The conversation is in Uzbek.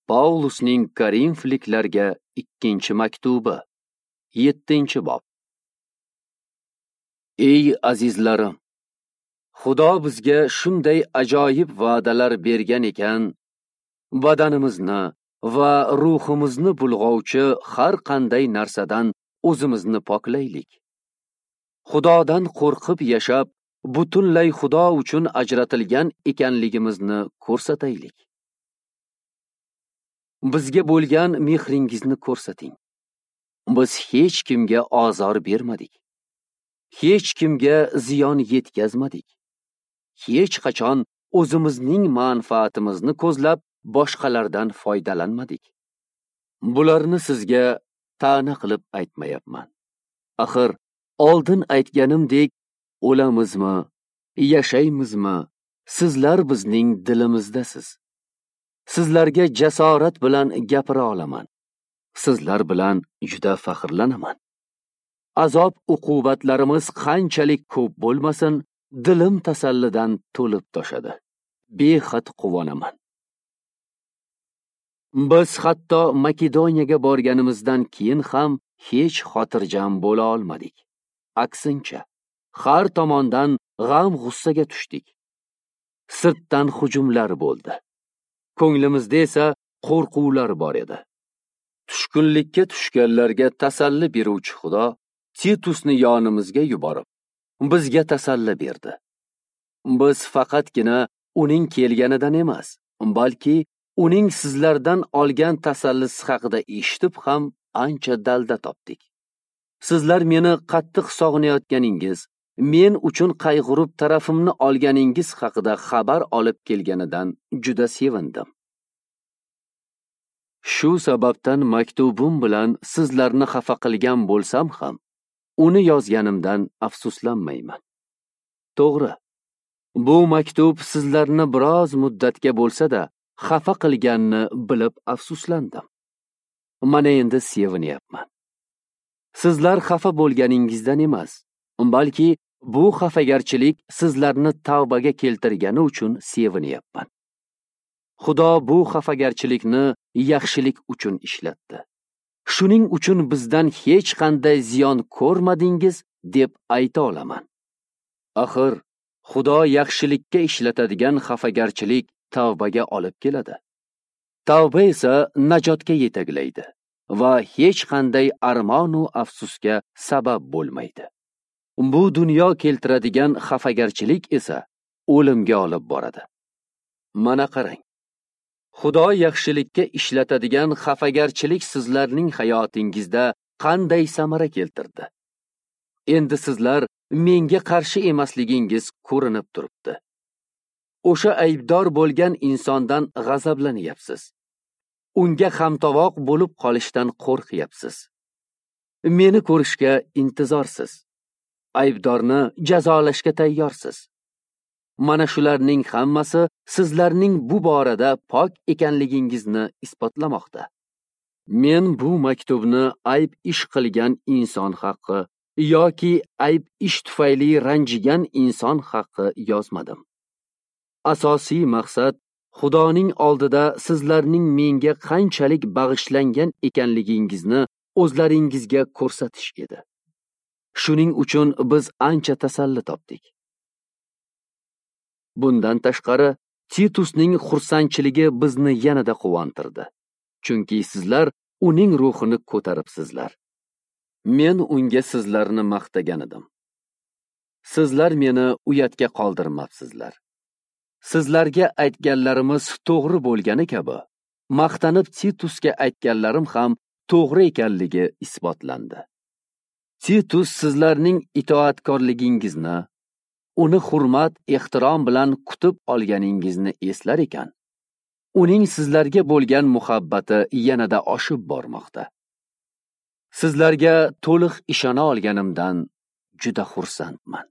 Paulusning Korinfliklarga ikkinchi maktubi, 7-bob. Ey azizlarim, Xudo bizga shunday ajoyib va'dalar bergan ekan, badanimizni va ruhimizni bulg'ovchi har qanday narsadan o'zimizni poklaylik. Xudodan qo'rqib yashab, butunlay Xudo uchun ajratilgan ekanligimizni ko'rsataylik. Bizga bo'lgan mehringizni ko'rsating. Biz hech kimga ozor bermadik. Hech kimga ziyon yetkazmadik. Hech qachon o'zimizning manfaatimizni ko'zlab boshqalardan foydalanmadik. Bularni sizga ta'na qilib aytmayapman. Axir oldin aytganimdek, o'lamizmi, yashaymizmi, sizlar bizning dilimizdasiz. Sizlarga jasorat bilan gapira olaman. Sizlar bilan juda faxrlanaman. Azob uqubatlarimiz qanchalik ko'p bo'lmasin, dilim tasallidan to'lib toshadi. Behad quvonaman. Biz hatto Makedoniyaga borganimizdan keyin ham hech xotirjam bo'la olmadik. Aksincha, har tomondan g'am-g'ussaga tushdik. Sirtdan hujumlar bo'ldi. Ko'nglimizda esa qo'rquvlar bor edi. Tushkunlikka tushganlarga tasalli beruvchi Xudo Titusni yonimizga yuborib, bizga tasalli berdi. Biz faqatgina uning kelganidan emas, balki uning sizlardan olgan tasallisi haqida eshitib ham ancha dalda topdik. Sizlar meni qattiq sog'inayotganingiz, men uchun qayg'urib tarafimni olganingiz haqida xabar olib kelganidan juda sevindim. Shu sababdan maktubim bilan sizlarni xafa qilgan bo'lsam ham, uni yozganimdan afsuslanmayman. To'g'ri, bu maktub sizlarni biroz muddatga bo'lsa-da xafa qilganini bilib afsuslandim. Mana endi sevinyapman. Sizlar xafa bo'lganingizdan emas, balki bu xafagarchilik sizlarni tavbaga keltirgani uchun sevinyapman. Xudo bu xafagarchilikni yaxshilik uchun ishlatdi. Shuning uchun bizdan hech qanday ziyon ko'rmadingiz deb ayta olaman. Axir Xudo yaxshilikka ishlatadigan xafagarchilik tavbaga olib keladi. Tavba esa najotga yetaklaydi va hech qanday armon u afsusga sabab bo'lmaydi. Bu dunyo keltiradigan xafagarchilik esa o'limga olib boradi. Mana qarang. Xudo yaxshilikka ishlatadigan xafagarchilik sizlarning hayotingizda qanday samara keltirdi? Endi sizlar menga qarshi emasligingiz ko'rinib turibdi. O'sha aybdor bo'lgan insondan g'azablanyapsiz. Unga hamtovoq bo'lib qolishdan qo'rqyapsiz. Meni ko'rishga intizorsiz. Aybdorni jazolashga tayyorsiz. Mana shularning hammasi sizlarning bu borada pok ekanligingizni isbotlamoqda. Men bu maktubni ayb ish qilgan inson haqqi yoki ayb ish tufayli ranjigan inson haqqi yozmadim. Asosiy maqsad Xudoning oldida sizlarning menga qanchalik bag'ishlangan ekanligingizni o'zlaringizga ko'rsatish edi. Shuning uchun biz ancha tasalli topdik. Bundan tashqari, Titusning xursandchiligi bizni yanada quvontirdi. Chunki sizlar uning ruhini ko'taribsizlar. Men unga sizlarni maqtagan edim. Sizlar meni uyatga qoldirmabsizlar. Sizlarga aytganlarimiz to'g'ri bo'lgani kabi, maqtanib Titusga aytganlarim ham to'g'ri ekanligi isbotlandi. Titus sizlarning itoatkorligingizni, uni hurmat, ehtirom bilan kutib olganingizni eslar ekan, uning sizlarga bo'lgan muhabbati yanada oshib bormoqda. Sizlarga to'liq ishona olganimdan juda xursandman.